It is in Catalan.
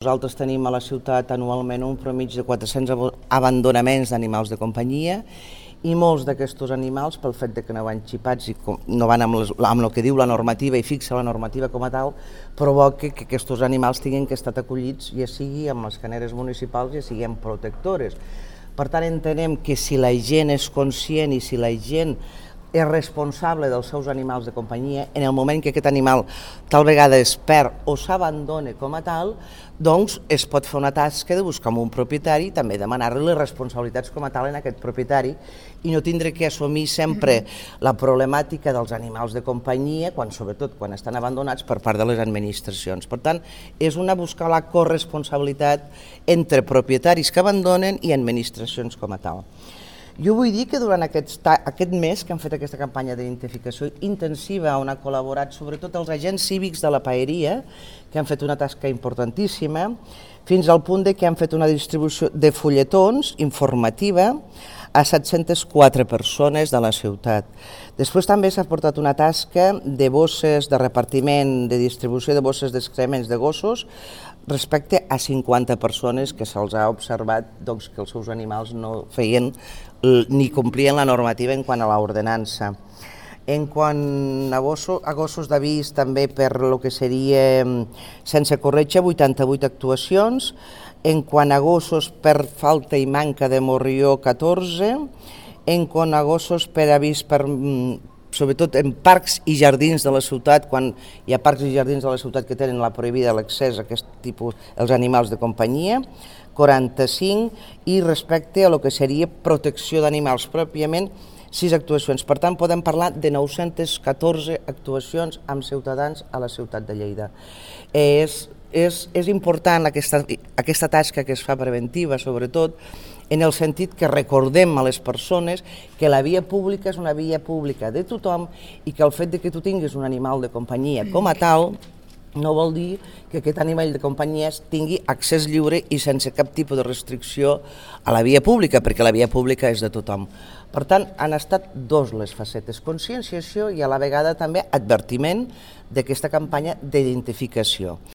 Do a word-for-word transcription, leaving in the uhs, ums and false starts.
Nosaltres tenim a la ciutat anualment un promig de quatre-cents abandonaments d'animals de companyia i molts d'aquests animals, pel fet de que no van xipats i no van amb, les, amb el que diu la normativa i fixa la normativa com a tal, provoca que aquests animals tinguin que estar acollits, ja sigui amb les caneres municipals, ja sigui amb protectores. Per tant, entenem que si la gent és conscient i si la gent és responsable dels seus animals de companyia, en el moment que aquest animal tal vegada es perd o s'abandona com a tal, doncs es pot fer una tasca de buscar un propietari i també demanar-li les responsabilitats com a tal en aquest propietari i no tindre que assumir sempre la problemàtica dels animals de companyia, quan, sobretot quan estan abandonats per part de les administracions. Per tant, és una buscar la corresponsabilitat entre propietaris que abandonen i administracions com a tal. Jo vull dir que durant aquest, aquest mes que han fet aquesta campanya d'identificació intensiva on ha col·laborat sobretot els agents cívics de la paeria, que han fet una tasca importantíssima, fins al punt de que han fet una distribució de fulletons informativa a set-centes quatre persones de la ciutat. Després també s'ha portat una tasca de bosses de repartiment, de distribució de bosses d'excrements de gossos respecte a cinquanta persones que se'ls ha observat doncs, que els seus animals no feien ni complien la normativa en quant a l'ordenança. En quant a gossos, a gossos d'avís, també per el que seria sense corretja, vuitanta-vuit actuacions. En quant a gossos per falta i manca de morrió, catorze. En quant a gossos per avís, per, sobretot en parcs i jardins de la ciutat, quan hi ha parcs i jardins de la ciutat que tenen la prohibida l'accés a aquest tipus, els animals de companyia, quaranta-cinc, i respecte a lo que seria protecció d'animals pròpiament, sis actuacions. Per tant, podem parlar de nou-centes catorze actuacions amb ciutadans a la ciutat de Lleida. És, és, és important aquesta, aquesta tasca que es fa preventiva, sobretot, en el sentit que recordem a les persones que la via pública és una via pública de tothom i que el fet de que tu tinguis un animal de companyia com a tal no vol dir que aquest animal de companyia tingui accés lliure i sense cap tipus de restricció a la via pública, perquè la via pública és de tothom. Per tant, han estat dos les facetes, conscienciació i a la vegada també advertiment d'aquesta campanya d'identificació.